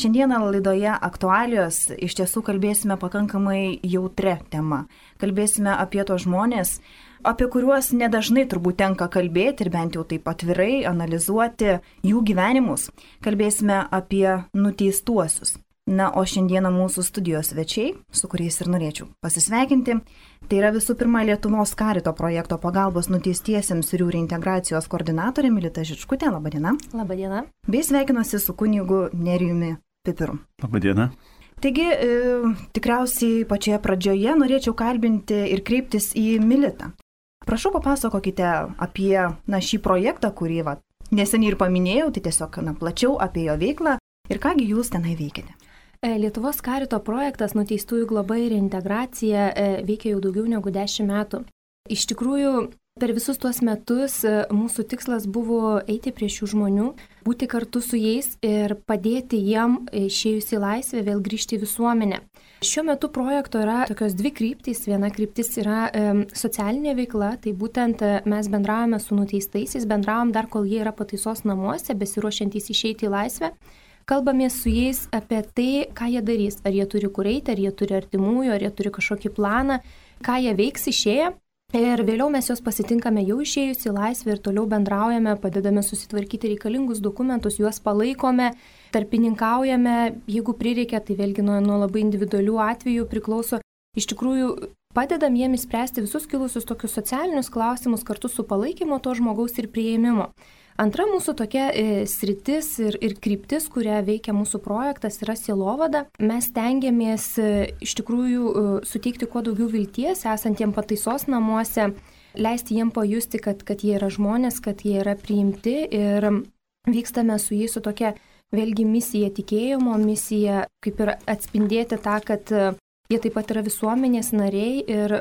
Šiandieną laidoje aktualijos iš tiesų kalbėsime pakankamai jautrę temą. Kalbėsime apie tos žmonės, apie kuriuos nedažnai turbūt tenka kalbėti ir bent jau taip atvirai analizuoti jų gyvenimus. Kalbėsime apie nuteistuosius. Na, o šiandieną mūsų studijos svečiai, su kuriais ir norėčiau pasisveikinti, tai yra visų pirma Lietuvos Karito projekto pagalbos nuteistiesiems ir jų reintegracijos koordinatorė Milita Žičkutė. Labadiena. Labadiena. Bei sveikinuosi su kunigu Nerijumi Pipiru. Labadiena. Taigi, tikriausiai pačioje pradžioje norėčiau kalbinti ir kreiptis į Militą. Prašau, papasakokite apie šį projektą, kurį neseniai ir paminėjau, tai tiesiog plačiau apie jo veiklą ir kągi jūs tenai veikiate. Lietuvos Karito projektas Nuteistųjų globa ir reintegracija veikia jau daugiau negu 10 metų. Iš tikrųjų, per visus tuos metus mūsų tikslas buvo eiti prie šių žmonių, būti kartu su jais ir padėti jiem išėjus į laisvę vėl grįžti į visuomenę. Šiuo metu projekto yra tokios dvi kryptys. Viena kryptis yra socialinė veikla, tai būtent mes bendravome su nuteistaisiais, bendravom dar kol jie yra pataisos namuose, besiruošiantys išeiti į laisvę. Kalbamės su jais apie tai, ką jie darys, ar jie turi kur eiti, ar jie turi artimųjų, ar jie turi kažkokį planą, ką jie veiks išėję. Ir vėliau mes juos pasitinkame jau išėjus į laisvę ir toliau bendraujame, padedame susitvarkyti reikalingus dokumentus, juos palaikome, tarpininkaujame, jeigu prireikia, tai vėlgi nuo labai individualių atvejų priklauso. Iš tikrųjų, padedam jiems spręsti visus kilusius tokius socialinius klausimus kartu su palaikymo to žmogaus ir prieimimo. Antra mūsų tokia sritis ir kryptis, kuria veikia mūsų projektas, yra sielovada. Mes stengiamės iš tikrųjų suteikti kuo daugiau vilties esantiem pataisos namuose, leisti jiem pajusti, kad jie yra žmonės, kad jie yra priimti ir vykstame su jais su tokia vėlgi misija, tikėjimo misija, kaip ir atspindėti tą, kad jie taip pat yra visuomenės nariai ir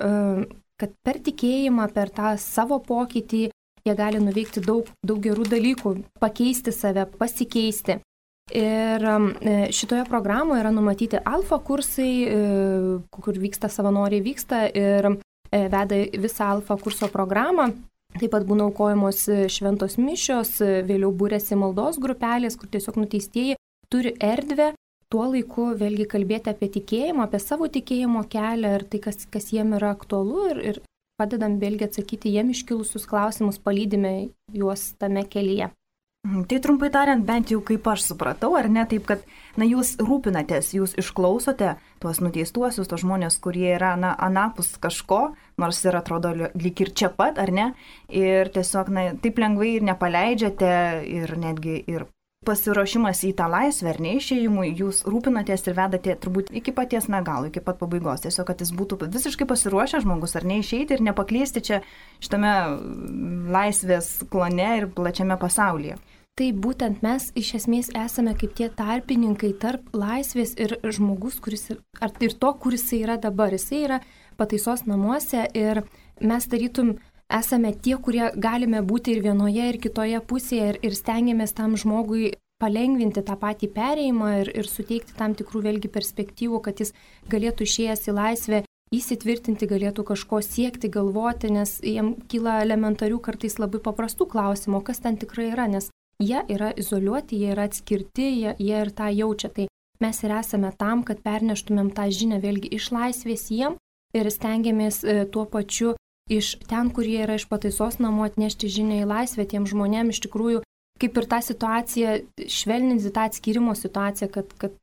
kad per tikėjimą, per tą savo pokytį jie gali nuveikti daug gerų dalykų, pakeisti save, pasikeisti. Ir šitoje programoje yra numatyti alfa kursai, kur savanoriai vyksta ir veda visą alfa kurso programą. Taip pat būna aukojamos šventos mišios, vėliau būrėsi maldos grupelės, kur tiesiog nuteistieji turi erdvę tuo laiku vėlgi kalbėti apie tikėjimą, apie savo tikėjimo kelią ir tai, kas jiem yra aktualu ir padedam vėlgi atsakyti jiem iškilusius klausimus, palydime juos tame kelyje. Tai trumpai tariant, bent jau kaip aš supratau, ar ne, taip, kad jūs rūpinatės, jūs išklausote tuos nuteistuosius, tuos žmonės, kurie yra anapus kažko, nors ir atrodo lyg ir čia pat, ar ne, ir tiesiog taip lengvai ir nepaleidžiate ir netgi ir pasiruošimas į tą laisvę ar neišėjimui, jūs rūpinatės ir vedate turbūt iki paties galo, iki pat pabaigos. Tiesiog, kad jis būtų visiškai pasiruošęs žmogus ar neišeiti ir nepaklysti čia šitame laisvės klane ir plačiame pasaulyje. Tai būtent mes iš esmės esame kaip tie tarpininkai tarp laisvės ir žmogus, ir to, kuris jis yra dabar. Jis yra pataisos namuose ir mes tarytum esame tie, kurie galime būti ir vienoje, ir kitoje pusėje ir stengiamės tam žmogui palengvinti tą patį perėjimą ir suteikti tam tikrų vėlgi perspektyvų, kad jis galėtų išėjęs į laisvę įsitvirtinti, galėtų kažko siekti, galvoti, nes jiem kyla elementarių kartais labai paprastų klausimų, kas ten tikrai yra, nes jie yra izoliuoti, jie yra atskirti, jie ir tą jaučia. Tai mes ir esame tam, kad perneštumėm tą žinią vėlgi iš laisvės jiem ir stengiamės tuo pačiu iš ten, kurie yra iš pataisos namų atnešti žinią į laisvę tiem žmonėm, iš tikrųjų, kaip ir tą situaciją, švelninti tą atskirimo situaciją, kad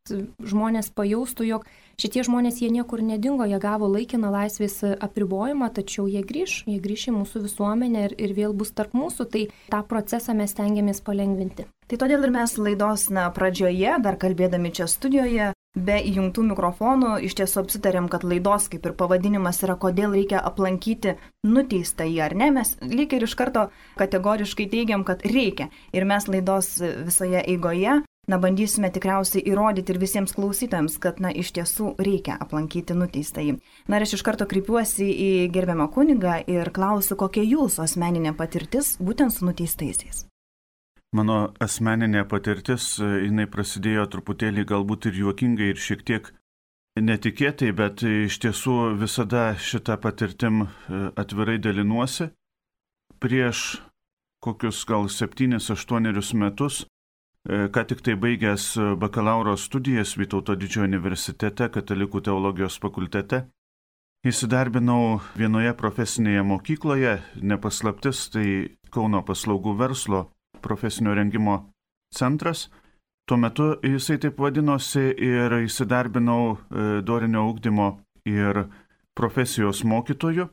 žmonės pajaustų, jog šitie žmonės jie niekur nedingo, jie gavo laikiną laisvės apribojimą, tačiau jie grįš į mūsų visuomenę ir vėl bus tarp mūsų, tai tą procesą mes stengiamės palengvinti. Tai todėl ir mes laidos pradžioje, dar kalbėdami čia studijoje, be įjungtų mikrofonų, iš tiesų apsitarėm, kad laidos kaip ir pavadinimas yra, kodėl reikia aplankyti nuteistąjį, ar ne? Mes lyg ir iš karto kategoriškai teigiam, kad reikia. Ir mes laidos visoje eigoje, bandysime tikriausiai įrodyti ir visiems klausytojams, kad, iš tiesų reikia aplankyti nuteistąjį. Ir aš iš karto kreipiuosi į gerbiamą kunigą ir klausiu, kokia jūsų asmeninė patirtis būtent su nuteistaisiais. Mano asmeninė patirtis, jinai prasidėjo truputėlį galbūt ir juokingai ir šiek tiek netikėtai, bet iš tiesų visada šitą patirtim atvirai dalinuosi. Prieš kokius gal 7-8 metus ką tik tai baigęs bakalauro studijas Vytauto Didžiojo universitete, Katalikų teologijos fakultete. Įsidarbinau vienoje profesinėje mokykloje, nepaslaptis, tai Kauno paslaugų verslo profesinio rengimo centras. Tuo metu jisai taip vadinosi ir įsidarbinau dorinio ugdymo ir profesijos mokytoju.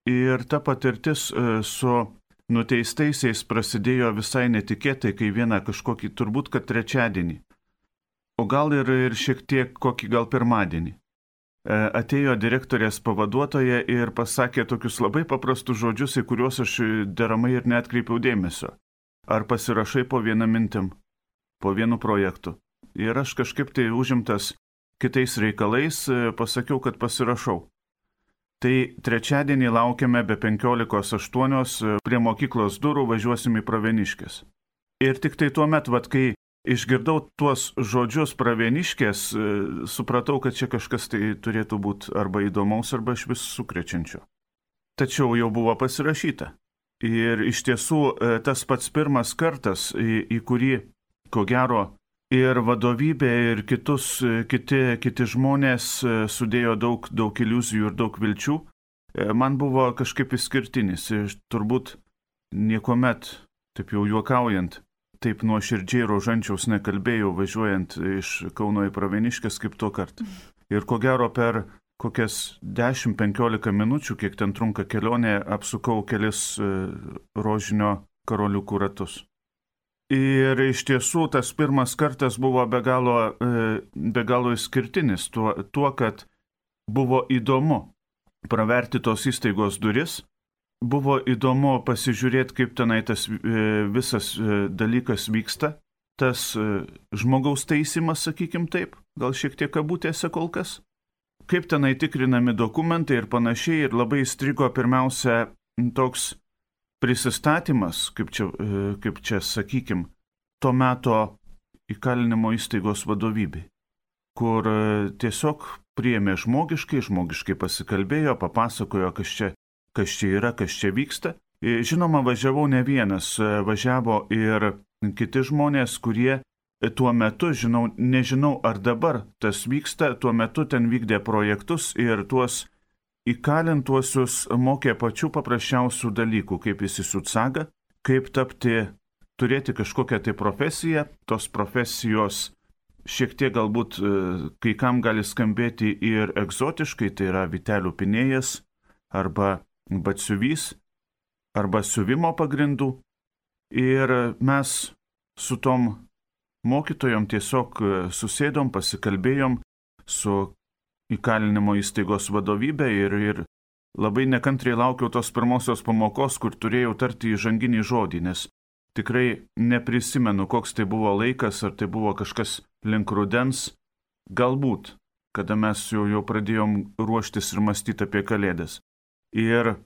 Ir ta patirtis su nuteistaisiais prasidėjo visai netikėtai, kai vieną kažkokį, turbūt, kad trečiadienį, o gal ir šiek tiek kokį gal pirmadienį. Atėjo direktorės pavaduotoja ir pasakė tokius labai paprastus žodžius, į kuriuos aš deramai ir neatkreipiau dėmesio. Ar pasirašai po vieną mintim, po vienu projektu. Ir aš kažkaip tai užimtas kitais reikalais pasakiau, kad pasirašau. Tai trečiadienį laukiame be 15:08 prie mokyklos durų, važiuosim į Pravieniškes. Ir tik tai tuo metu, kai išgirdau tuos žodžius Pravieniškės, supratau, kad čia kažkas tai turėtų būti arba įdomaus, arba iš vis sukrečiančio. Tačiau jau buvo pasirašyta. Ir iš tiesų tas pats pirmas kartas, į kurį, ko gero, ir vadovybė, ir kiti žmonės sudėjo daug iliuzijų ir daug vilčių, man buvo kažkaip išskirtinis. Ir turbūt niekuomet, taip jau juokaujant, taip nuoširdžiai rožančiaus nekalbėjau, važiuojant iš Kauno į Pravieniškes kaip tuo kartą. Ir ko gero per kokias 10-15 minučių, kiek ten trunka kelionė, apsukau kelis rožinio karoliukų ratus. Ir iš tiesų tas pirmas kartas buvo be galo išskirtinis tuo, kad buvo įdomu praverti tos įstaigos duris, buvo įdomu pasižiūrėti, kaip tenai tas visas dalykas vyksta, tas žmogaus teisimas, sakykim taip, gal šiek tiek kabutėse kol kas, kaip tenai tikrinami dokumentai ir panašiai, ir labai įstrigo pirmiausia toks prisistatymas, kaip čia sakykim, to meto įkalinimo įstaigos vadovybei, kur tiesiog priėmė žmogiškai pasikalbėjo, papasakojo, kas čia yra, kas čia vyksta. Žinoma, važiavau ne vienas, važiavo ir kiti žmonės, kurie tuo metu, nežinau ar dabar tas vyksta, tuo metu ten vykdė projektus ir tuos įkalintuosius mokė pačių paprasčiausių dalykų, kaip įsisiūt sagą, kaip turėti kažkokią tai profesiją. Tos profesijos šiek tiek galbūt kai kam gali skambėti ir egzotiškai, tai yra vytelių pinėjas arba batsiuvys arba siuvimo pagrindų. Ir mes su tom mokytojom tiesiog susėdom, pasikalbėjom su įkalinimo įstaigos vadovybė ir labai nekantriai laukiau tos pirmosios pamokos, kur turėjau tarti įžanginį žodį, nes tikrai neprisimenu, koks tai buvo laikas, ar tai buvo kažkas link rudens, galbūt, kada mes jau pradėjom ruoštis ir mąstyti apie Kalėdas. Ir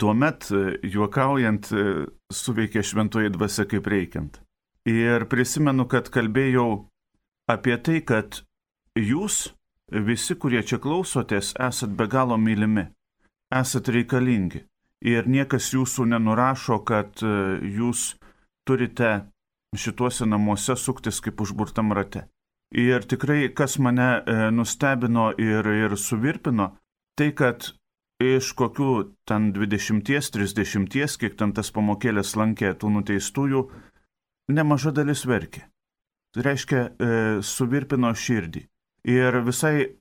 tuomet, juokaujant, suveikė šventoji dvasia kaip reikiant. Ir prisimenu, kad kalbėjau apie tai, kad jūs, visi, kurie čia klausotės, esat be galo mylimi, esat reikalingi ir niekas jūsų nenurašo, kad jūs turite šituose namuose suktis kaip užburtam rate. Ir tikrai, kas mane nustebino ir suvirpino, tai kad iš kokių ten 20-30, kiek ten tas pamokėlės lankė tų nuteistųjų, nemaža dalis verkė. Tai reiškia, suvirpino širdį. Ir visai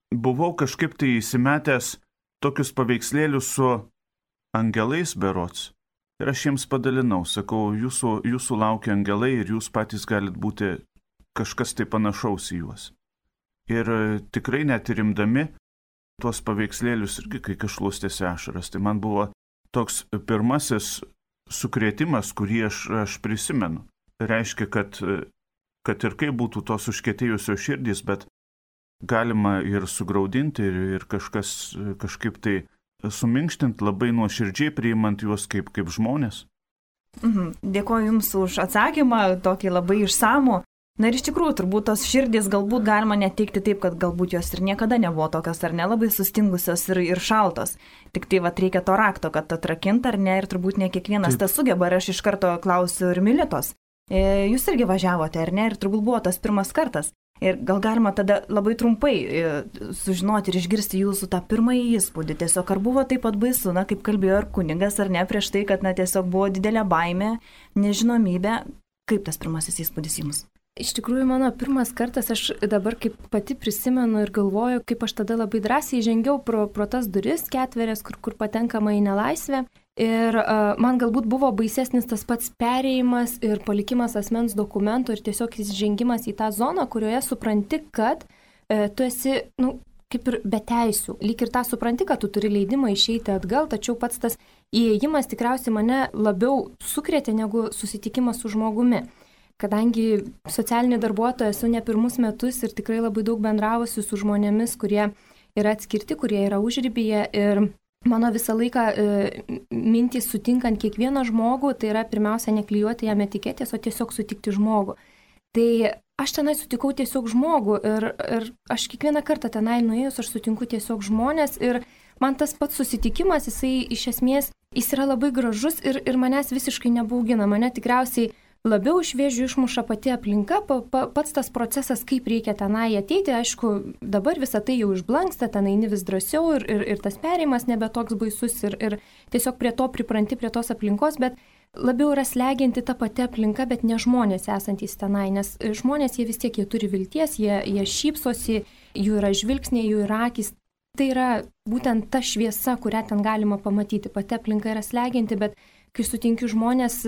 buvau kažkaip tai įsimetęs tokius paveikslėlius su angelais berods. Ir aš jiems padalinau, sakau, jūsų laukia angelai ir jūs patys galit būti kažkas tai panašaus į juos. Ir tikrai net rimdami tuos paveikslėlius irgi kai kažlustėsi ašaras. Tai man buvo toks pirmasis sukrėtimas, kurį aš prisimenu. Tai reiškia, kad ir kaip būtų tos užkietėjusios širdys, bet galima ir sugraudinti ir kažkaip tai suminkštinti, labai nuoširdžiai priimant juos kaip žmonės. Dėkuoju Jums už atsakymą, tokį labai išsamų. Na ir iš tikrųjų, turbūt tos širdys galbūt galima neteikti taip, kad galbūt jos ir niekada nebuvo tokios ar nelabai sustingusios ir šaltos. Tik tai reikia to rakto, kad atrakint ar ne, ir turbūt ne kiekvienas tas sugeba. Ir aš iš karto klausiu ir Militos. Jūs irgi važiavote, ar ne? Ir turbūt buvo tas pirmas kartas. Ir gal galima tada labai trumpai sužinoti ir išgirsti jūsų tą pirmąjį įspūdį. Tiesiog ar buvo taip pat baisu, na, kaip kalbėjo ir kunigas, ar ne, prieš tai, kad, na, tiesiog buvo didelė baimė, nežinomybė. Kaip tas pirmasis įspūdis jums? Iš tikrųjų, mano pirmas kartas, aš dabar kaip pati prisimenu ir galvoju, kaip aš tada labai drąsiai žengiau pro tas duris ketverės, kur patenkama į nelaisvę. Ir man galbūt buvo baisesnis tas pats perėjimas ir palikimas asmens dokumento ir tiesiog įžengimas į tą zoną, kurioje supranti, kad tu esi, kaip ir be teisių. Lyg ir tą supranti, kad tu turi leidimą išeiti atgal, tačiau pats tas įėjimas tikriausiai mane labiau sukrėtė negu susitikimas su žmogumi. Kadangi socialinė darbuotoja esu ne pirmus metus ir tikrai labai daug bendravusi su žmonėmis, kurie yra atskirti, kurie yra užribyje ir mano visą laiką mintys sutinkant kiekvieną žmogų, tai yra pirmiausia neklijuoti jam etiketės, o tiesiog sutikti žmogų. Tai aš tenai sutikau tiesiog žmogų ir aš kiekvieną kartą tenai nuėjus, aš sutinku tiesiog žmonės ir man tas pats susitikimas, jisai iš esmės, jis yra labai gražus ir manęs visiškai nebaugina, mane tikriausiai labiau iš vėžių išmuša pati aplinka, pats tas procesas, kaip reikia tenai ateiti, aišku, dabar visą tai jau išblanksta, ten eini vis drąsiau ir tas perėjimas nebe toks baisus ir tiesiog prie to pripranti, prie tos aplinkos, bet labiau yra slegianti ta pati aplinka, bet ne žmonės esantys tenai, nes žmonės jie vis tiek, jie turi vilties, jie šypsosi, jų yra žvilgsniai, jų yra akys. Tai yra būtent ta šviesa, kurią ten galima pamatyti, pati aplinka yra slegianti, bet kai sutinkiu žmonės,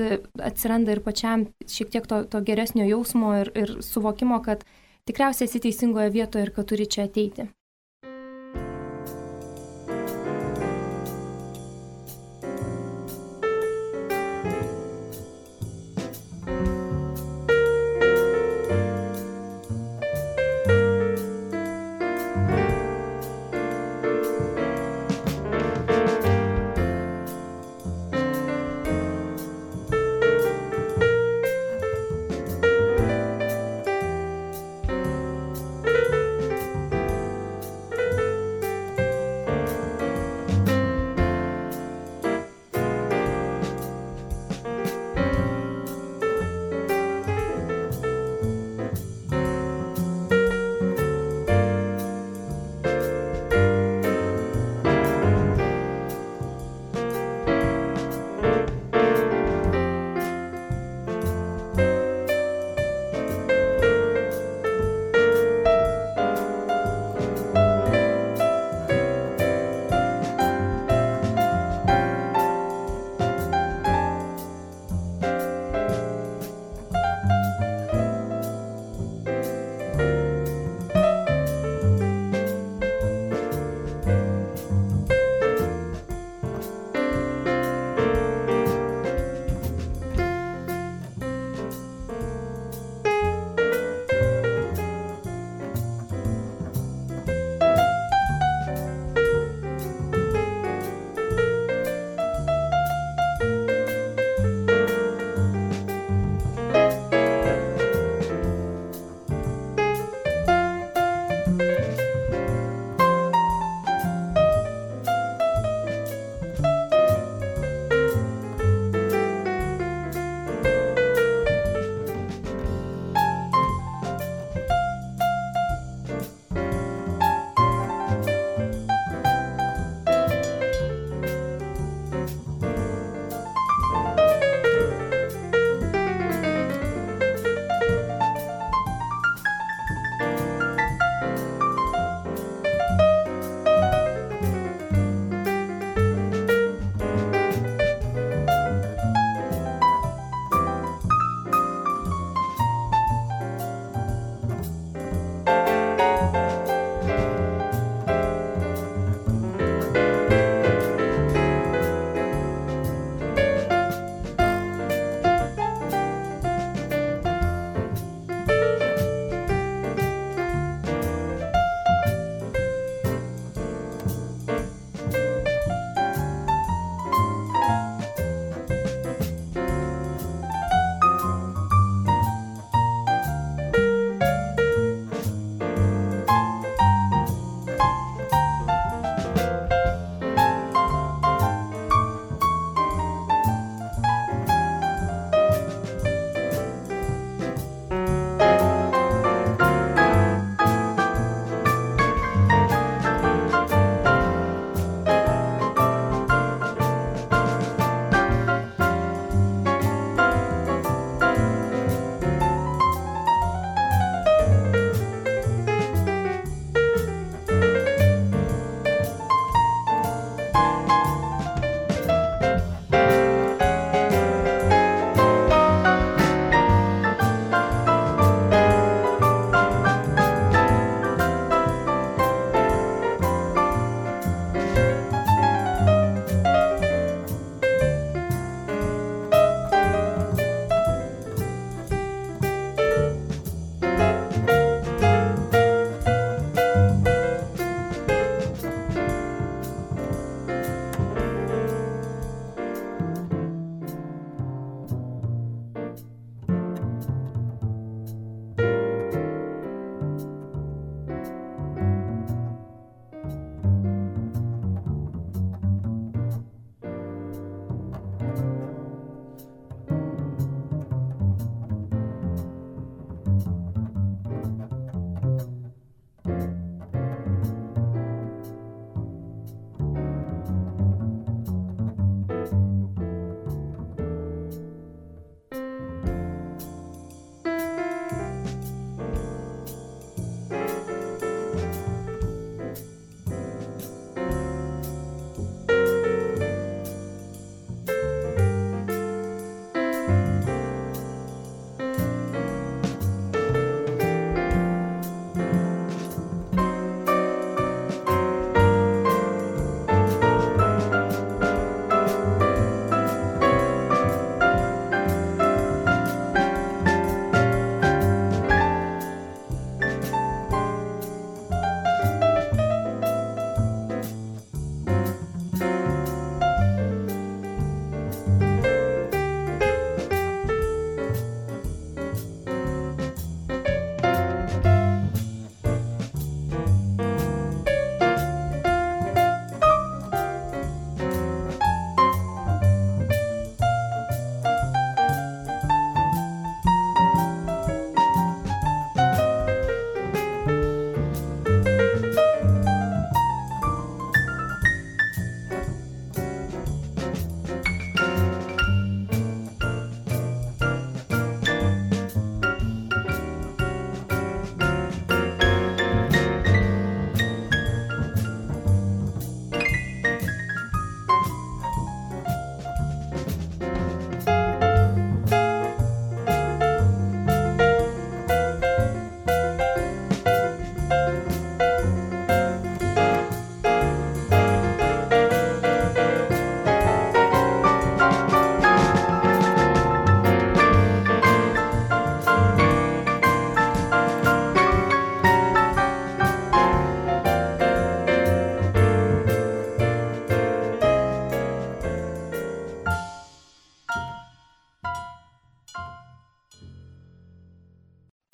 atsiranda ir pačiam šiek tiek to geresnio jausmo ir suvokimo, kad tikriausiai esi teisingoje vietoje ir kad turi čia ateiti.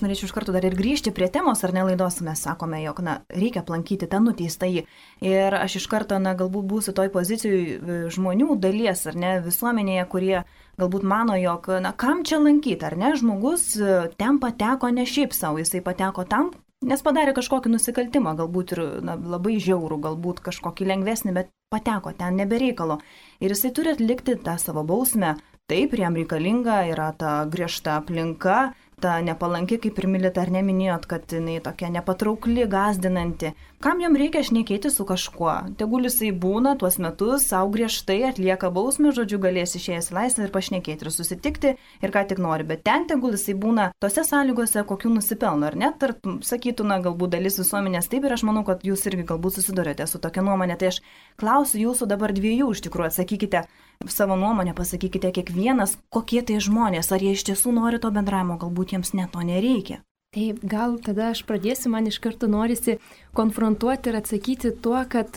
norėčiau iš karto dar ir grįžti prie temos, ar ne laidos, mes sakome, jog, reikia aplankyti tą nuteistąjį. Ir aš iš karto, galbūt būsiu toj pozicijai žmonių dalies, ar ne, visuomenėje, kurie galbūt mano, jog, kam čia lankyti, ar ne, žmogus ten pateko ne šiaip savo, jisai pateko tam, nes padarė kažkokį nusikaltimą, galbūt ir labai žiaurų, galbūt kažkokį lengvesnį, bet pateko ten nebereikalo. Ir jisai turi atlikti tą savo bausmę. Taip, jam reikalinga yra ta griežta aplinka, ta nepalanki, kaip ir Milita, ar neminėjot, kad jinai tokia nepatraukli, gąsdinanti. Kam jam reikia šnekėti su kažkuo? Tegul jisai būna tuos metus, savo griežtai atlieka bausmę, žodžiu, galės išėjęs į laisvę ir pašnekėti ir susitikti ir ką tik nori. Bet ten tegul jisai būna tose sąlygose, kokių nusipelno, ar net, sakytų, galbūt dalis visuomenės taip, ir aš manau, kad jūs irgi galbūt susidurėte su tokia nuomonė. Tai aš klausiu jūsų dabar dviejų, iš tikrųjų, atsakykite savo nuomonę, pasakykite kiekvienas, kokie tai žmonės, ar jie iš tiesų nori to bendravimo, galbūt jiems net to nereikia. Taip, gal tada aš pradėsiu, man iš karto norisi konfrontuoti ir atsakyti tuo, kad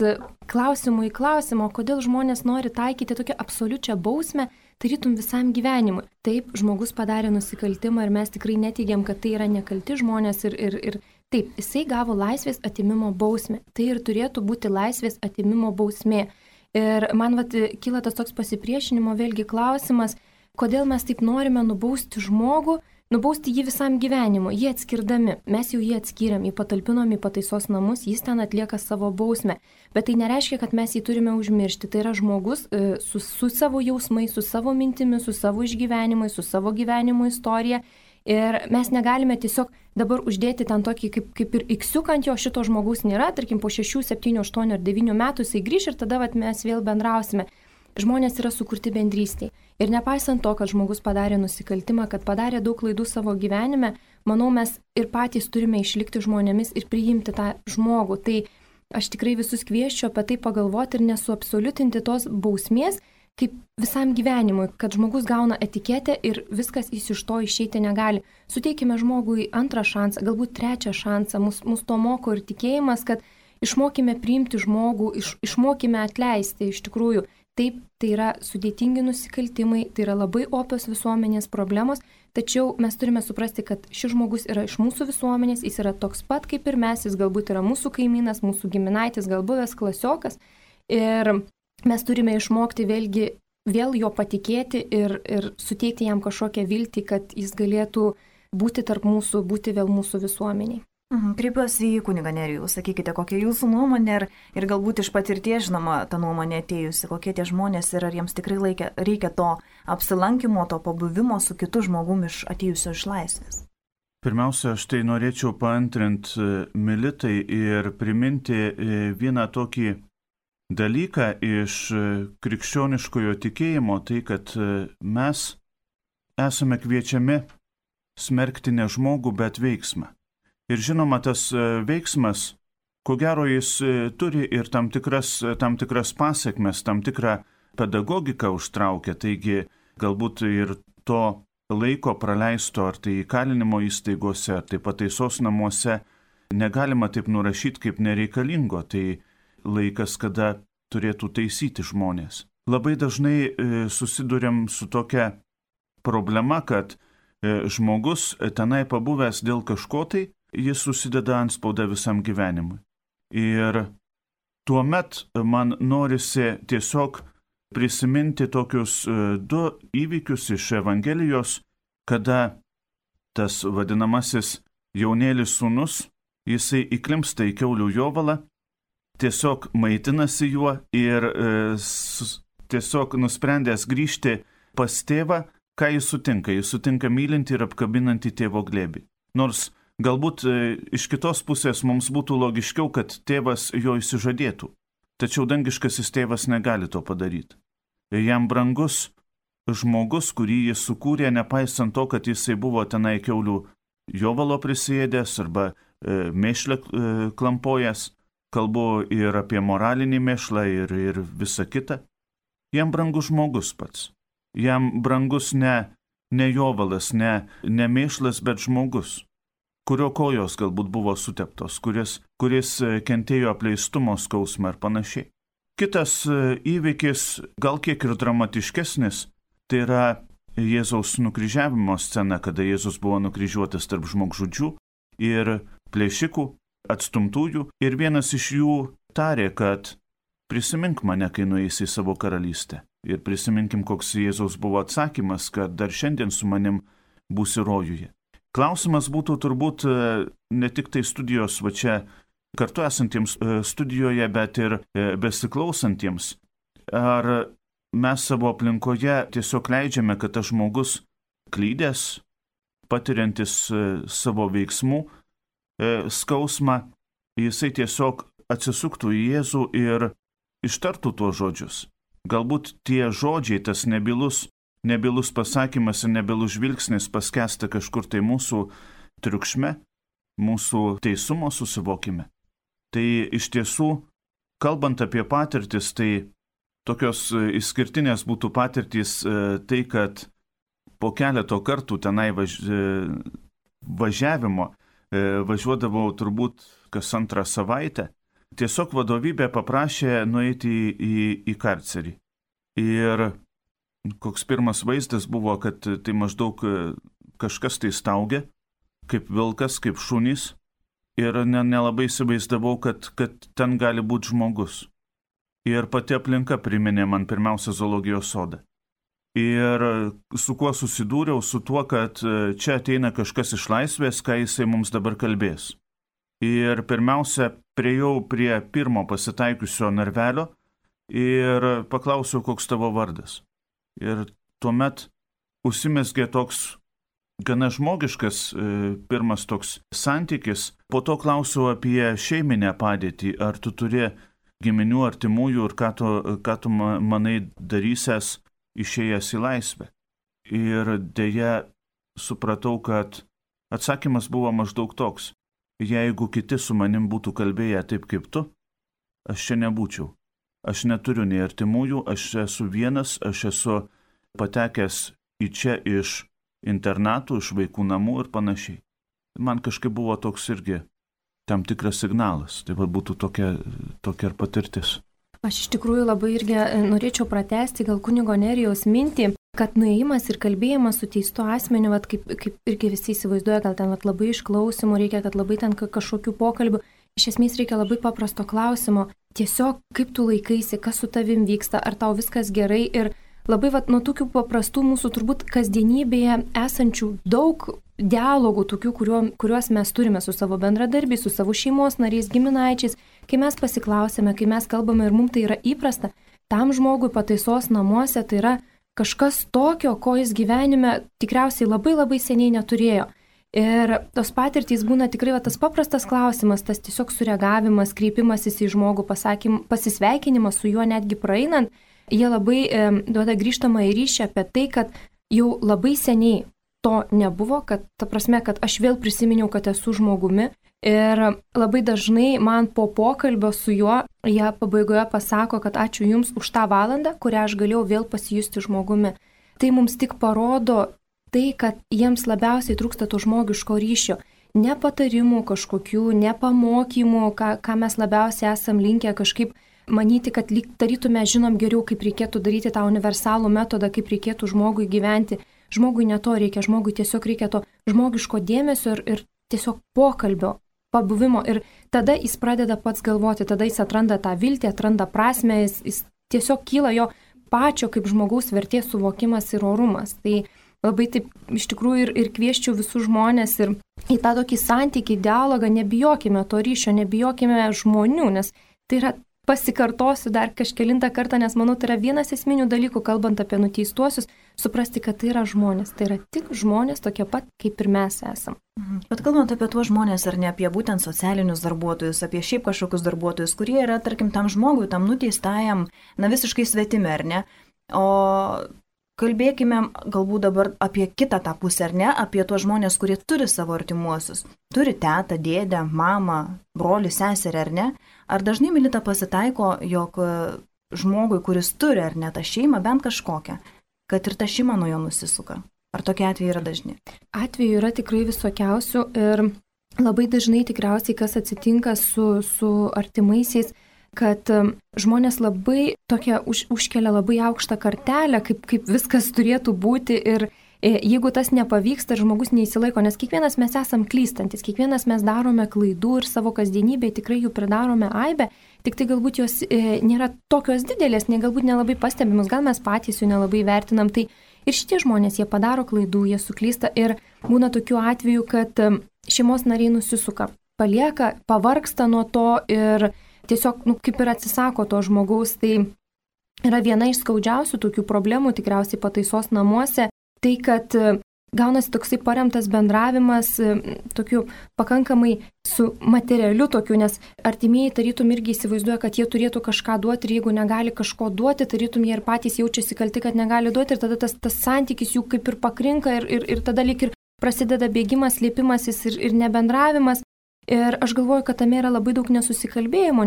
klausimų į klausimą, kodėl žmonės nori taikyti tokią absoliučią bausmę, tarytum visam gyvenimui. Taip, žmogus padarė nusikaltimą ir mes tikrai neteigiam, kad tai yra nekalti žmonės ir taip, jisai gavo laisvės atimimo bausmę. Tai ir turėtų būti laisvės atimimo bausmė. Ir man kyla tas toks pasipriešinimo vėlgi klausimas, kodėl mes taip norime nubausti žmogų, nubausti jį visam gyvenimui, jį atskirdami. Mes jau jį atskyrėm, jį patalpinom į pataisos namus, jis ten atlieka savo bausmę. Bet tai nereiškia, kad mes jį turime užmiršti. Tai yra žmogus su savo jausmais, su savo mintimis, su savo išgyvenimais, su savo gyvenimo istorija. Ir mes negalime tiesiog dabar uždėti ten tokį kaip ir iksiuką ant jo, šito žmogaus nėra, tarkim po 6, 7, 8 ar 9 metų jisai grįš ir tada mes vėl bendrausime. Žmonės yra sukurti bendrystėj. Ir nepaisant to, kad žmogus padarė nusikaltimą, kad padarė daug klaidų savo gyvenime, manau, mes ir patys turime išlikti žmonėmis ir priimti tą žmogų. Tai aš tikrai visus kviesčiau apie tai pagalvoti ir nesuabsoliutinti tos bausmės, kaip visam gyvenimui, kad žmogus gauna etiketę ir viskas jis iš to išeiti negali. Suteikime žmogui antrą šansą, galbūt trečią šansą. Mus to moko ir tikėjimas, kad išmokime priimti žmogų, išmokime atleisti. Iš tikrųjų, taip, tai yra sudėtingi nusikaltimai, tai yra labai opios visuomenės problemos, tačiau mes turime suprasti, kad šis žmogus yra iš mūsų visuomenės, jis yra toks pat kaip ir mes, jis galbūt yra mūsų kaimynas, mūsų giminaitis, gal buvęs klasiokas. Ir mes turime išmokti vėl jo patikėti ir suteikti jam kažkokią viltį, kad jis galėtų būti tarp mūsų, būti vėl mūsų visuomeniai. Kreipiuosi į kunigą Nerijų, sakykite, kokia jūsų nuomonė ir galbūt iš patirties, žinoma, ta nuomonė atėjusi, kokie tie žmonės ir ar jiems tikrai reikia to apsilankimo, to pabuvimo su kitu žmogumi atėjusio iš laisvės. Pirmiausia, aš tai norėčiau paantrinti Militai ir priminti vieną tokį dalyką iš krikščioniškojo tikėjimo, tai kad mes esame kviečiami smerkti ne žmogų, bet veiksmą. Ir žinoma, tas veiksmas, ko gero jis turi ir tam tikras pasiekmes, tam tikrą pedagogiką užtraukia, taigi galbūt ir to laiko praleisto ar tai įkalinimo įstaigose, ar tai pataisos namuose negalima taip nurašyti kaip nereikalingo, tai laikas, kada turėtų taisyti žmonės. Labai dažnai susiduriam su tokia problema, kad žmogus tenai pabuvęs dėl kažko tai, jis susideda antspaudą visam gyvenimui. Ir tuomet man norisi tiesiog prisiminti tokius 2 įvykius iš Evangelijos, kada tas vadinamasis jaunėlis sūnus, jisai įklimpsta į kiaulių jovalą, tiesiog maitinasi juo ir tiesiog nusprendęs grįžti pas tėvą, ką jis sutinka? Jis sutinka mylinti ir apkabinantį tėvo glėbį. Nors galbūt iš kitos pusės mums būtų logiškiau, kad tėvas jo išsižadėtų. Tačiau dangiškasis tėvas negali to padaryti. Jam brangus žmogus, kurį jis sukūrė, nepaisant to, kad jisai buvo tenai kiaulių jovalo prisėdęs arba mėšlę klampojęs, kalbu ir apie moralinį mėšlą ir visą kitą. Jam brangus žmogus pats. Jam brangus ne jovalas, ne mėšlas, bet žmogus, kurio kojos galbūt buvo suteptos, kuris kentėjo apleistumo skausmą ir panašiai. Kitas įvykis, gal kiek ir dramatiškesnis, tai yra Jėzaus nukryžiavimo scena, kada Jėzus buvo nukryžiuotas tarp žmogžudžių ir plėšikų, atstumtųjų, ir vienas iš jų tarė, kad prisimink mane, kai nueisi į savo karalystę. Ir prisiminkim, koks Jėzaus buvo atsakymas, kad dar šiandien su manim būsi rojuje. Klausimas būtų turbūt ne tik tai studijos va čia kartu esantiems studijoje, bet ir besiklausantiems. Ar mes savo aplinkoje tiesiog leidžiame, kad tas žmogus klydęs, patiriantis savo veiksmų skausmą, jisai tiesiog atsisuktų į Jėzų ir ištartų tuos žodžius. Galbūt tie žodžiai, tas nebylus pasakymas ir nebylus žvilgsnis paskęsta kažkur tai mūsų triukšme, mūsų teisumo susivokime. Tai iš tiesų, kalbant apie patirtis, tai tokios išskirtinės būtų patirtys tai, kad po keleto kartų tenai važiavimo važiuodavau turbūt kas antrą savaitę. Tiesiog vadovybė paprašė nueiti į karcerį. Ir koks pirmas vaizdas buvo, kad tai maždaug kažkas tai staugia, kaip vilkas, kaip šunys. Ir nelabai įsivaizdavau, kad ten gali būti žmogus. Ir pati aplinka priminė man pirmiausia zoologijos sodą. Ir su kuo susidūriau, su tuo, kad čia ateina kažkas iš laisvės, ką jisai mums dabar kalbės. Ir pirmiausia, priejau prie pirmo pasitaikiusio narvelio ir paklausiau, koks tavo vardas. Ir tuomet užsimezgė toks gana žmogiškas pirmas toks santykis. Po to klausiau apie šeiminę padėtį, ar tu turi giminių artimųjų ir ką tu manai darysęs išėjęs į laisvę. Ir dėja supratau, kad atsakymas buvo maždaug toks. Jeigu kiti su manim būtų kalbėję taip kaip tu, aš čia nebūčiau. Aš neturiu nei artimųjų, aš esu vienas, aš esu patekęs į čia iš internatų, iš vaikų namų ir panašiai. Man kažkaip buvo toks irgi tam tikras signalas. Tai būtų tokia ir patirtis. Aš iš tikrųjų labai irgi norėčiau pratęsti gal kunigo Nerijaus mintį, kad nuėjimas ir kalbėjimas su teistu asmeniu, kaip irgi visi įsivaizduoja, gal ten labai išklausimų reikia, kad labai ten kažkokių pokalbių. Iš esmės reikia labai paprasto klausimo. Tiesiog kaip tu laikaisi, kas su tavim vyksta, ar tau viskas gerai. Ir labai nuo tokių paprastų mūsų turbūt kasdienybėje esančių daug dialogų, tokių, kuriuos mes turime su savo bendradarbiais, su savo šeimos nariais, giminaičiais, kai mes pasiklausėme, kai mes kalbame ir mums tai yra įprasta, tam žmogui pataisos namuose tai yra kažkas tokio, ko jis gyvenime tikriausiai labai labai seniai neturėjo. Ir tos patirtys būna tikrai tas paprastas klausimas, tas tiesiog sureagavimas, kreipimasis į žmogų, pasisveikinimas su juo netgi praeinant, jie labai duoda grįžtamą į ryšį apie tai, kad jau labai seniai to nebuvo, kad ta prasme, kad aš vėl prisiminiau, kad esu žmogumi. Ir labai dažnai man po pokalbio su juo, jie pabaigoje pasako, kad ačiū Jums už tą valandą, kurią aš galėjau vėl pasijusti žmogumi. Tai mums tik parodo tai, kad jiems labiausiai trūksta to žmogiško ryšio. Ne patarimų kažkokių, ne pamokymų, ką mes labiausiai esam linkę kažkaip manyti, kad lyg tarytume žinom geriau, kaip reikėtų daryti tą universalų metodą, kaip reikėtų žmogui gyventi. Žmogui ne to reikia, žmogui tiesiog reikia to žmogiško dėmesio ir tiesiog pokalbio, pabuvimo. Ir tada jis pradeda pats galvoti, tada jis atranda tą viltį, atranda prasmę, jis tiesiog kyla jo pačio kaip žmogaus vertės suvokimas ir orumas. Tai labai taip iš tikrųjų ir kvieščiau visus žmonės ir į tą tokį santykį, dialogą, nebijokime to ryšio, nebijokime žmonių, nes tai yra, pasikartosiu dar kažkelintą kartą, nes manau, tai yra vienas esminių dalykų, kalbant apie nuteistuosius, suprasti, kad tai yra žmonės. Tai yra tik žmonės tokie pat, kaip ir mes esam. Bet kalbant apie tuos žmonės, ar ne apie būtent socialinius darbuotojus, apie šiaip kažkokius darbuotojus, kurie yra, tarkim, tam žmogui, tam nuteistajam, visiškai svetimi, ar ne? O kalbėkime galbūt dabar apie kitą tą pusę, ar ne? Apie tuos žmonės, kurie turi savo artimuosius. Turi tetą, dėdę, mamą, brolį, seserį, ar ne? Ar dažnai, Milita, pasitaiko, jog žmogui, kuris turi, ar ne, tą šeimą, bent kažkokią, kad ir ta šeima nuo jo nusisuka? Ar tokie atvejai yra dažni? Atvejų yra tikrai visokiausių ir labai dažnai tikriausiai, kas atsitinka su artimaisiais, kad žmonės labai tokia užkelia labai aukštą kartelę, kaip viskas turėtų būti ir jeigu tas nepavyksta ir žmogus neįsilaiko, nes kiekvienas mes esam klystantis, kiekvienas mes darome klaidų ir savo kasdienybėje tikrai jų pridarome aibę, tik tai galbūt jos nėra tokios didelės, galbūt nelabai pastebimus, gal mes patys jų nelabai vertinam, tai ir šitie žmonės, jie padaro klaidų, jie suklysta ir būna tokių atvejų, kad šeimos nariai nusisuka, palieka, pavargsta nuo to ir tiesiog, kaip ir atsisako to žmogaus, tai yra viena iš skaudžiausių tokių problemų tikriausiai pataisos namuose, tai kad gaunasi toksai paremtas bendravimas, tokiu pakankamai su materialiu tokiu, nes artimieji tarytum irgi įsivaizduoja, kad jie turėtų kažką duoti ir jeigu negali kažko duoti, tarytum jie ir patys jaučiasi kalti, kad negali duoti ir tada tas santykis jų kaip ir pakrinka ir tada lyg ir prasideda bėgimas, slėpimasis ir nebendravimas. Ir aš galvoju, kad tame yra labai daug nesusikalbėjimo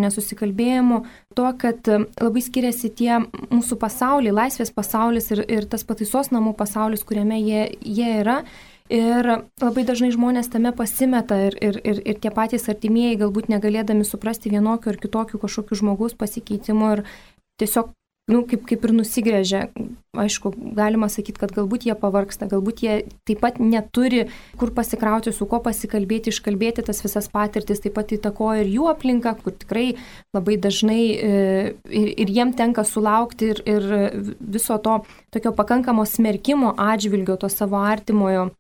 to, kad labai skiriasi tie mūsų pasauliai, laisvės pasaulis ir tas pataisos namų pasaulis, kuriame jie yra. Ir labai dažnai žmonės tame pasimeta ir tie patys artimieji galbūt negalėdami suprasti vienokių ar kitokių kažkokių žmogaus pasikeitimų ir tiesiog kaip ir nusigrėžia. Aišku, galima sakyti, kad galbūt jie pavargsta, galbūt jie taip pat neturi kur pasikrauti, su kuo pasikalbėti, iškalbėti tas visas patirtis, taip pat įtakoja ir jų aplinka, kur tikrai labai dažnai ir jiem tenka sulaukti ir viso to tokio pakankamo smerkimo atžvilgio to savo artimojo.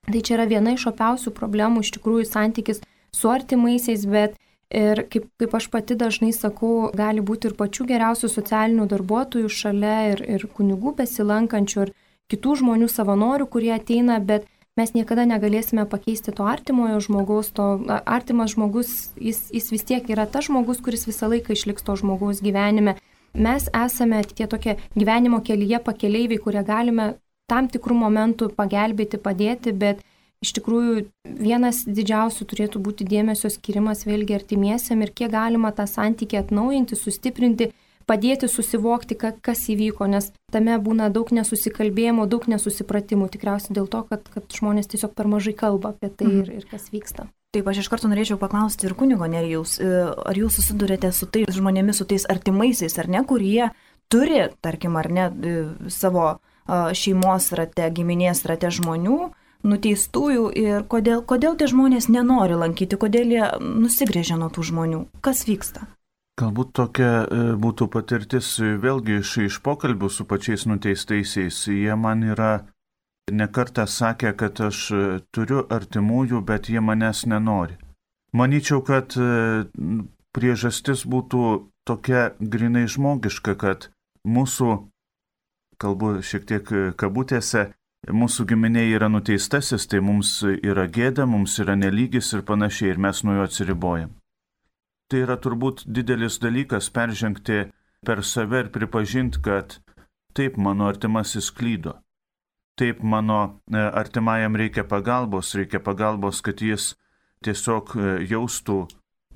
Tai čia yra viena iš opiausių problemų, iš tikrųjų santykis su artimaisiais, bet ir kaip aš pati dažnai sakau, gali būti ir pačių geriausių socialinių darbuotojų šalia ir kunigų besilankančių ir kitų žmonių savanorių, kurie ateina, bet mes niekada negalėsime pakeisti to artimojo žmogaus, to artimas žmogus, jis vis tiek yra tas žmogus, kuris visą laiką išliks to žmogaus gyvenime. Mes esame tie tokie gyvenimo kelyje pakeleiviai, kurie galime tam tikrų momentų pagelbėti, padėti, bet iš tikrųjų vienas didžiausių turėtų būti dėmesio skirimas vėlgi artimiesiam ir kiek galima tą santykį atnaujinti, sustiprinti, padėti susivokti, kas įvyko, nes tame būna daug nesusikalbėjimo, daug nesusipratimų, tikriausiai dėl to, kad žmonės tiesiog per mažai kalba apie tai ir kas vyksta. Taip, aš iš karto norėčiau paklausti ir kunigo Nerijaus, ar jūs susidurėte su tais žmonėmis, su tais artimaisiais, ar ne, kurie turi, tarkim, ar ne, savo šeimos rate, giminės rate žmonių, nuteistųjų ir kodėl tie žmonės nenori lankyti, kodėl jie nusigrėžia nuo tų žmonių, kas vyksta? Galbūt tokia būtų patirtis vėlgi iš pokalbių su pačiais nuteistaisiais. Jie man yra nekartą sakę, kad aš turiu artimųjų, bet jie manęs nenori. Manyčiau, kad priežastis būtų tokia grinai žmogiška, kad mūsų, kalbu šiek tiek kabutėse, mūsų giminė yra nuteistasis, tai mums yra gėda, mums yra nelygis ir panašiai, ir mes nuo jo atsiribojam. Tai yra turbūt didelis dalykas peržengti per save ir pripažinti, kad taip mano artimasis klydo. Taip mano artimajam reikia pagalbos, kad jis tiesiog jaustų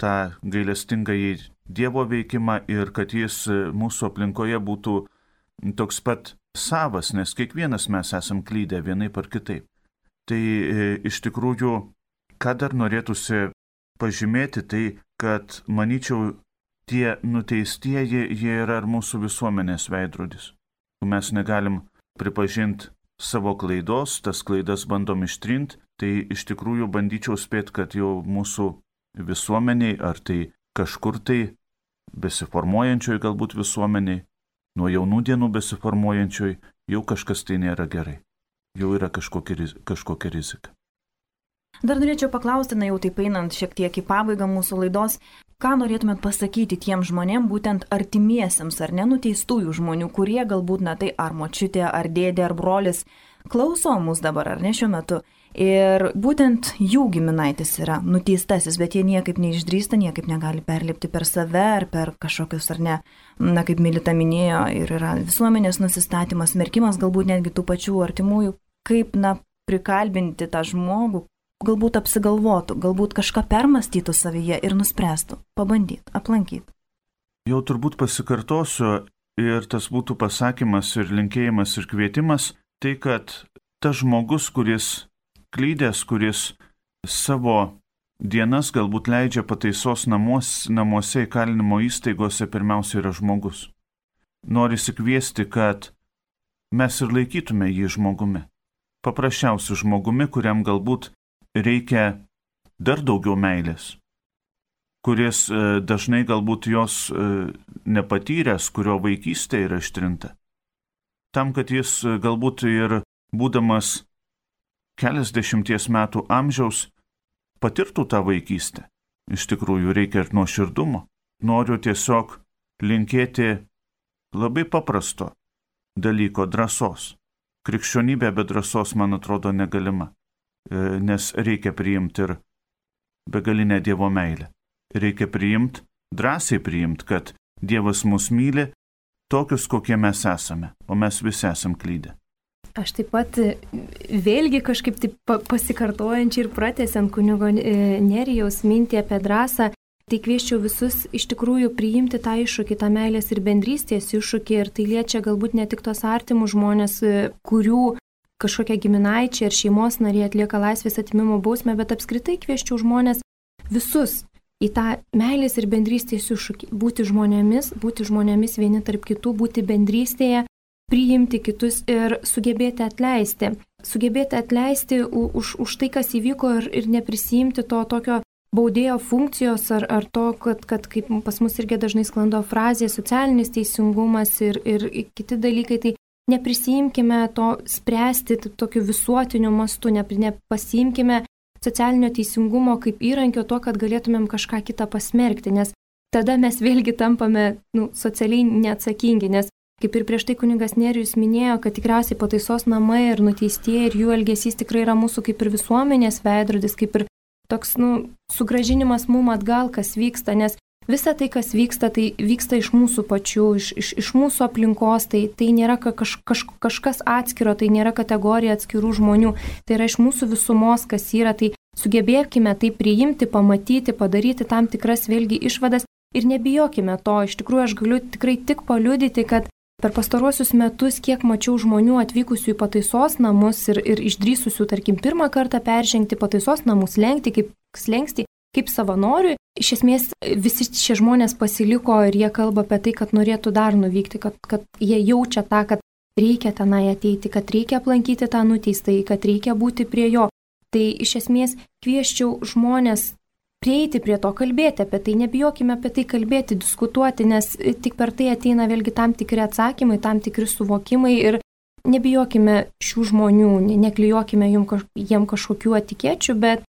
tą gailestingąjį Dievo veikimą ir kad jis mūsų aplinkoje būtų toks pat savas, nes kiekvienas mes esam klydę vienaip ar kitaip. Tai iš tikrųjų, ką dar norėtųsi pažymėti, tai kad, manyčiau, tie nuteistieji, jie yra ir mūsų visuomenės veidrodis. Mes negalim pripažinti savo klaidos, tas klaidas bandom ištrinti, tai iš tikrųjų bandyčiau spėti, kad jau mūsų visuomeniai, ar tai kažkur tai besiformuojančioj galbūt visuomeniai, nuo jaunų dienų besiformuojančioj, jau kažkas tai nėra gerai. Jau yra kažkokia rizika. Dar norėčiau paklausti, jau taip einant šiek tiek į pabaigą mūsų laidos, ką norėtumėt pasakyti tiem žmonėm, būtent artimiesiems ar nenuteistųjų žmonių, kurie galbūt, tai ar močiutė, ar dėdė, ar brolis klauso mus dabar, ar ne šiuo metu. Ir būtent jų giminaitis yra nuteistasis, bet jie niekaip neišdrįsta, niekaip negali perlipti per save ar per kažkokius, ar ne, kaip Milita minėjo, ir yra visuomenės nusistatymas, smerkimas galbūt netgi tų pačių artimųjų, kaip, prikalbinti tą žmogų, galbūt apsigalvotų, galbūt kažką permastytų savyje ir nuspręstų, pabandyti, aplankyti. Jau turbūt pasikartosiu ir tas būtų pasakymas ir linkėjimas ir kvietimas, tai kad tas žmogus, kuris klydęs, kuris savo dienas galbūt leidžia pataisos namuose įkalinimo įstaigose, pirmiausia yra žmogus. Norisi kviesti, kad mes ir laikytume jį žmogumi. Paprasčiausiu žmogumi, kuriam galbūt reikia dar daugiau meilės, kuris dažnai galbūt jos nepatyręs, kurio vaikystė yra ištrinta. Tam, kad jis galbūt ir būdamas keliasdešimties metų amžiaus patirtų tą vaikystę. Iš tikrųjų reikia ir nuoširdumo. Noriu tiesiog linkėti labai paprasto dalyko drąsos. Krikščionybė be drąsos, man atrodo, negalima, nes reikia priimti ir begalinę Dievo meilę. Reikia drąsiai priimti, kad Dievas mus myli tokius, kokie mes esame, o mes visi esam klydę. Aš taip pat vėlgi kažkaip taip pasikartojančiai ir pratęsiant kunigo Nerijaus mintį apie drąsą, tai kvieščiau visus iš tikrųjų priimti tą iššūkį, tą meilės ir bendrystės iššūkį, ir tai liečia galbūt ne tik tos artimus žmonės, kurių kažkokie giminaičiai ar šeimos nariai atlieka laisvės atėmimo bausmę, bet apskritai kvieščiau žmonės visus į tą meilės ir bendrystės iššūkį. Būti žmonėmis vieni tarp kitų, būti bendrystėje, priimti kitus ir sugebėti atleisti. Sugebėti atleisti už tai, kas įvyko, ir neprisijimti to tokio baudėjo funkcijos ar to, kad kaip pas mus irgi dažnai sklando frazė socialinis teisingumas ir kiti dalykai, tai neprisijimkime to spręsti tokiu visuotiniu mastu, nepasiimkime socialinio teisingumo kaip įrankio to, kad galėtumėm kažką kitą pasmerkti, nes tada mes vėlgi tampame socialiai neatsakingi, nes kaip ir prieš tai kunigas Nerijus minėjo, kad tikriausiai pataisos namai ir nuteistieji ir jų elgesys tikrai yra mūsų kaip ir visuomenės veidrodis, kaip ir toks sugrąžinimas mum atgal, kas vyksta, nes visa tai, kas vyksta, tai vyksta iš mūsų pačių, iš mūsų aplinkos, tai nėra kažkas atskiro, tai nėra kategorija atskirų žmonių, tai yra iš mūsų visumos, kas yra, tai sugebėkime tai priimti, pamatyti, padaryti tam tikras vėlgi išvadas ir nebijokime to. Iš tikrųjų, aš galiu tikrai tik paliudyti, kad per pastaruosius metus, kiek mačiau žmonių atvykusių į pataisos namus ir išdrįsusių, tarkim, pirmą kartą peržengti pataisos namų slengstį, kaip savanoriui, iš esmės visi šie žmonės pasiliko ir jie kalba apie tai, kad norėtų dar nuvykti, kad jie jaučia tą, kad reikia tenai ateiti, kad reikia aplankyti tą nuteistąjį, kad reikia būti prie jo. Tai iš esmės kvieščiau žmonės prieiti prie to, kalbėti apie tai, nebijokime apie tai kalbėti, diskutuoti, nes tik per tai ateina vėlgi tam tikri atsakymai, tam tikri suvokimai ir nebijokime šių žmonių, neklijuokime jiem kažkokių etikečių, bet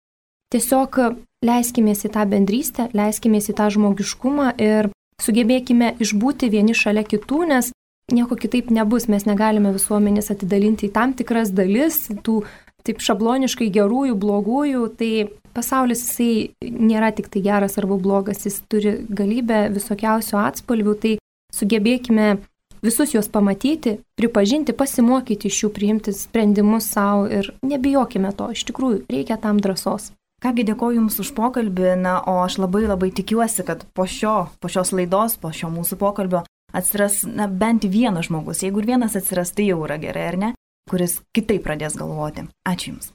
tiesiog leiskimės į tą bendrystę, leiskimės į tą žmogiškumą ir sugebėkime išbūti vieni šalia kitų, nes nieko kitaip nebus, mes negalime visuomenės atidalinti į tam tikras dalis, tų taip šabloniškai gerųjų, blogųjų, tai pasaulis jisai nėra tik tai geras arba blogas, jis turi galybę visokiausių atspalvių, tai sugebėkime visus juos pamatyti, pripažinti, pasimokyti iš jų, priimti sprendimus savo ir nebijokime to, iš tikrųjų reikia tam drąsos. Kągi, dėkoju Jums už pokalbį, o aš labai tikiuosi, kad po šios laidos, po šio mūsų pokalbio atsiras bent vienas žmogus, jeigu ir vienas atsiras, tai jau yra gerai, ar ne, kuris kitaip pradės galvoti. Ačiū Jums.